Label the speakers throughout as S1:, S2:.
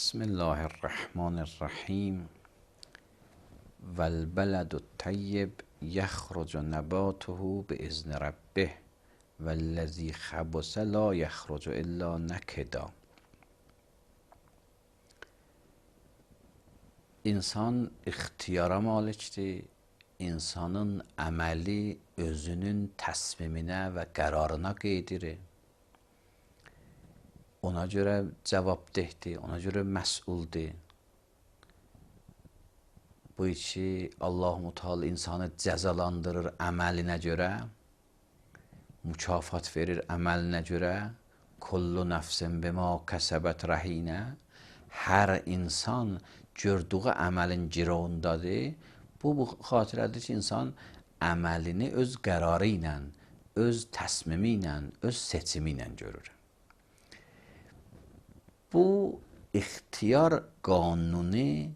S1: بسم الله الرحمن الرحیم والبلد الطیب یخرج نباته باذن ربه والذی خبث لا یخرج الا نکدا. İnsan ixtiyara malikdir. İnsanın əməli özünün təsmiminə və qərarına qeydirir. Ona görə cavabdehdir, ona görə məsuldur. Bu ki Allah-u Teala insanı cəzalandırır əməlinə görə, mükafat verir əməlinə görə. Kullu nəfsin bima kəsəbət rəhinə. Hər insan gördüyü əməlin girovundadır. Bu xatirədir ki, insan əməlini öz qərarı ilə, öz təsmimi ilə, öz seçimi ilə görür. Bu ixtiyar qanunu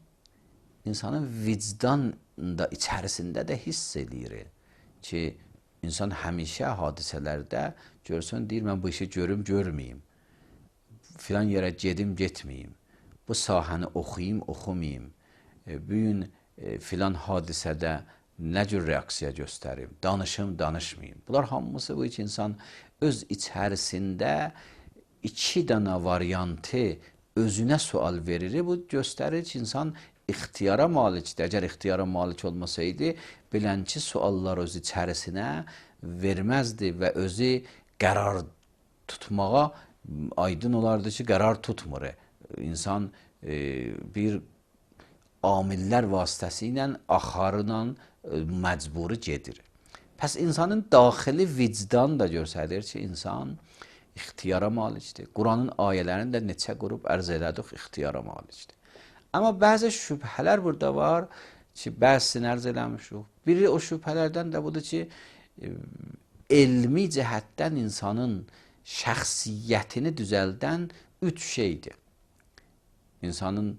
S1: insanın vicdan da içərisində də hiss edir ki, insan həmişə hadisələrdə görsün, deyir, mən bu işi görüm, görməyim. Filan yerə gedim, getməyim. Bu sahəni oxuyayım, oxumayım. Bu gün filan hadisədə nə cür reaksiya göstərim, danışım, danışmayım. Bunlar hamısı bu ki, insan öz içərisində iki dənə variantı özünə sual verir. Bu göstərir ki, insan ixtiyara malikdir. Əgər ixtiyara malik olmasaydı, bilənçi suallar öz içərisinə verməzdi və özü qərar tutmağa aydın olardı ki, qərar tutmur. İnsan bir amillər vasitəsilə, axarla məcburi gedir. Pəs insanın daxili vicdan da göstərir ki, insan ixtiyara malikdir. Quranın ayələrində neçə qrup ərz elədik, ixtiyara malikdir. Amma bəzi şübhələr burada var ki, bəzisini ərz eləmişik. Biri o şübhələrdən də budur ki, elmi cəhətdən insanın şəxsiyyətini düzəldən üç şeydir. İnsanın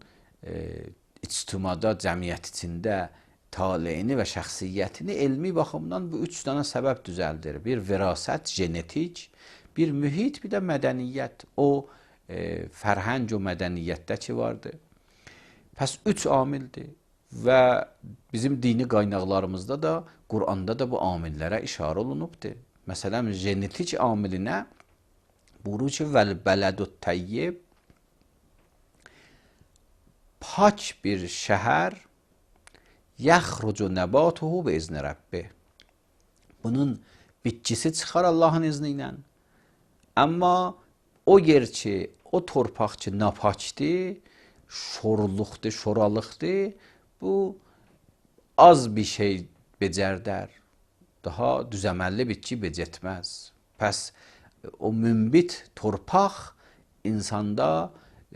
S1: ictimada, cəmiyyət içində taleyini və şəxsiyyətini elmi baxımdan bu üç dənə səbəb düzəldir. Bir verasət, genetik, bir mühit, bir də mədəniyyət. O fərhəng o mədəniyyətdə ki vardır. Pəs üç amildir və bizim dini qaynaqlarımızda da, Quranda da bu amillərə işarə olunubdur. Məsələn, genetik amilinə buyurur ki, vəl-bələdut təyyib, pak bir şəhər, yəxrucu nəbatuhu bi izni Rəbbih. Bunun bitkisi çıxar Allahın izni ilə. Amma o yer ki, o torpaq ki, napakdır, şorluqdur, şoralıqdır, bu az bir şey becərdər. Daha düzəməlli bitki becətməz. Pəs o münbit torpaq insanda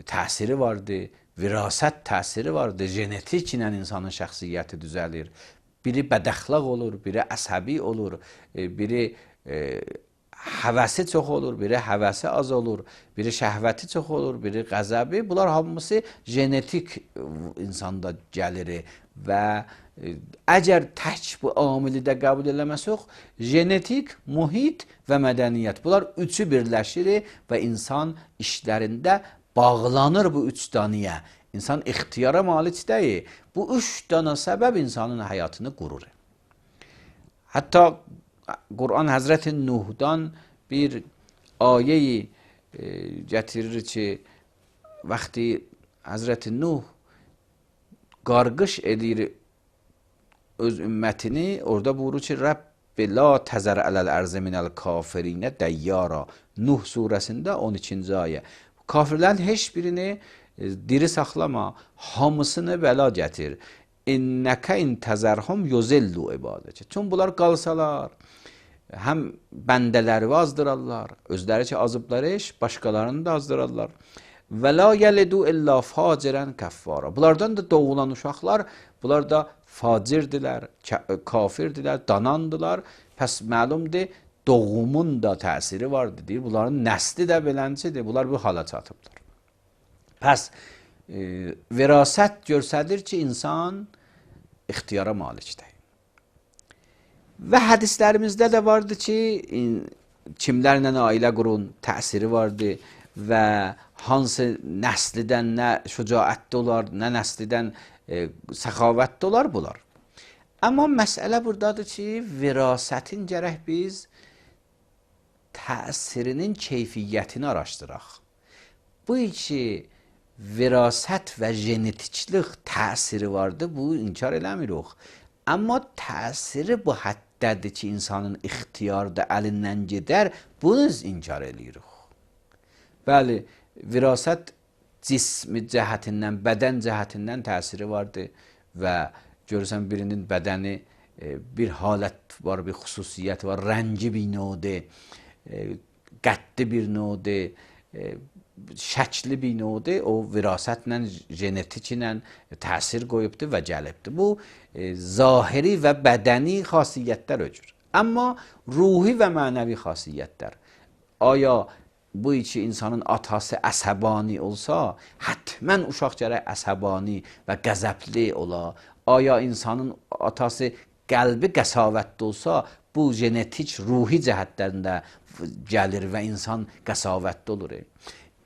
S1: təsiri vardır, virasət təsiri vardır, genetik ilə insanın şəxsiyyəti düzəlir. Biri bədəxlaq olur, biri əsəbi olur, biri həvəsi çox olur, biri həvəsi az olur, biri şəhvəti çox olur, biri qəzəbi. Bunlar hamısı genetik insanda gəlir və əgər tək bu amili də qəbul eləməsək, genetik, mühit və mədəniyyət. Bunlar üçü birləşir və insan işlərində bağlanır bu üç dənəyə. İnsan ixtiyara malik deyil. Bu üç dənə səbəb insanın həyatını qurur. Hətta Quran Həzrəti Nuhdan bir ayəyi gətirir ki, vaxtı Həzrəti Nuh qarqış edir öz ümmətini, orada buyurur ki, Rəbbi la təzər ələl ərzə minəl kafirinə dəyyara. Nuh surəsində 12-ci ayə. Kafirlərin heç birini diri saxlama, hamısını bəla gətir. İnnəkə intəzərhum yuzillu ibadəcə. Çünki bunlar qalsalar, həm bəndələri azdırarlar, özləri ki azıblar iş, başqalarını da azdırarlar. Və la yəlidu illa facirən kəffara. Bunlardan da doğulan uşaqlar, bunlar da facirdirlər, kafirdirlər, danandılar. Pəs məlumdur, doğumun da təsiri vardır, deyir. Bunların nəsli də beləncidir, bunlar bu hala çatıblar. Pəs verasət göstərir ki, insan ixtiyara malikdir. Və hədislərimizdə də vardır ki, kimlərlə ailə qurun, təsiri vardır. və hansı nəslidən nə şücaətli olar, nə nəslidən səxavətli olar bunlar. Amma məsələ buradadır ki, virasətin gərək biz təsirinin keyfiyyətini araşdıraq. Bu ki, virasət və genetiklik təsiri vardır, bu inkar eləmirik. Amma təsiri bu həddədir ki, insanın ixtiyarda əlindən gedər, bunu inkar eləyirik. Bəli, virasət cismi cəhətindən, bədən cəhətindən təsiri vardır və görürsən birinin bədəni bir halət var, bir xüsusiyyət var, rəngi bir növdir, qəddi bir növdir, şəkli bir növdir, o virasətlə, genetiklə təsir qoyubdur və gəlibdir. Bu, zahiri və bədəni xasiyyətlər öcür. Amma ruhi və mənəvi xasiyyətlər. Aya bu iki insanın atası əsəbani olsa, hətmən uşaq gərək əsəbani və qəzəbli ola. Aya insanın atası qəlbi qəsavətli olsa, bu genetik, ruhi cəhətlərində gəlir və insan qəsavətli olur.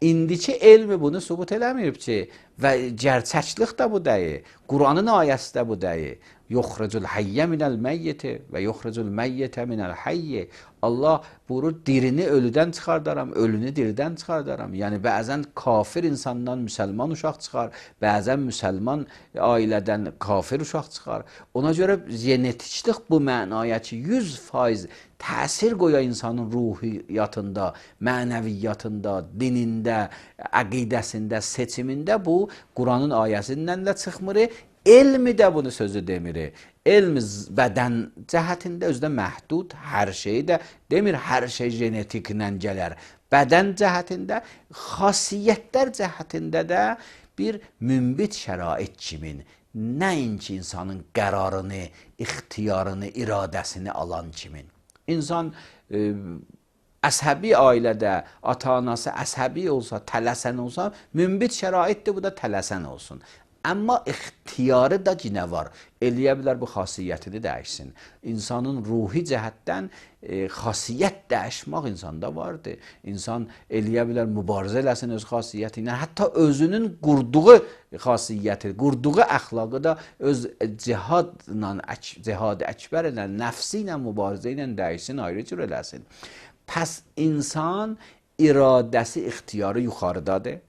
S1: İndiki elmi bunu sübut eləməyib ki, və gerçəklik də bu deyil, Quranın ayəsi də bu deyil. Yuxricul hayyə minəl məyyiti və yuxricul məyyitə minəl hayyə. Allah buyurur, dirini ölüdən çıxardaram, ölünü diridən çıxardaram. Yəni, bəzən kafir insandan müsəlman uşaq çıxar, bəzən müsəlman ailədən kafir uşaq çıxar. Ona görə genetiklik bu mənaya ki, 100% təsir qoya insanın ruhiyyatında, mənəviyyatında, dinində, əqidəsində, seçimində bu Quranın ayəsindən də çıxmır. Elmi də bunu sözü demir. Elm bədən cəhətində özdə məhdud, hər şey də demir, hər şey genetiklə gələr. Bədən cəhətində, xasiyyətlər cəhətində də bir mümbit şərait kimin, nəinki insanın qərarını, ixtiyarını, iradəsini alan kimin. İnsan əsəbi ailədə, ata-anası əsəbi olsa, tələsən olsa, mümbit şəraitdir, bu da tələsən olsun. Amma ixtiyarı da yine var. Eləyə bilər bu xasiyyətini dəyişsin. İnsanın ruhi cəhətdən xasiyyət dəyişmək insanda vardır. İnsan eləyə bilər mübarizə eləsin öz xasiyyəti ilə. Hətta özünün qurduğu xasiyyəti, qurduğu əxlaqı da öz cihad-ı əkbər ilə, nəfsi ilə, mübarizə ilə dəyişsin, ayrı cür eləsin. Pəs insan iradəsi, ixtiyarı yuxarıdadır.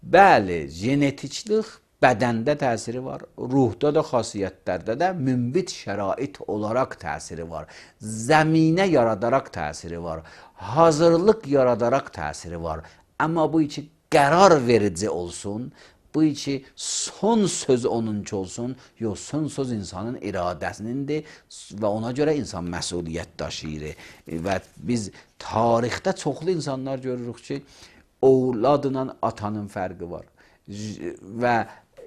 S1: Bəli, genetiklik bədəndə təsiri var, ruhda da, xasiyyətlərdə də mümbit şərait olaraq təsiri var, zəminə yaradaraq təsiri var, hazırlıq yaradaraq təsiri var. Amma bu iki qərar verici olsun, bu iki son söz onunki olsun, yox, son söz insanın iradəsinindir və ona görə insan məsuliyyət daşıyır. Və biz tarixdə çoxlu insanlar görürük ki, ovladla atanın fərqi var və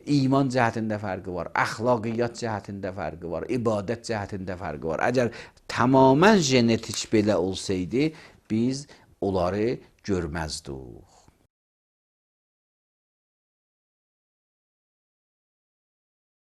S1: iman cəhətində fərqi var, əxlaqiyyat cəhətində fərqi var, ibadət cəhətində fərqi var. Əgər tamamən genetik belə olsaydı, biz onları görməzdik.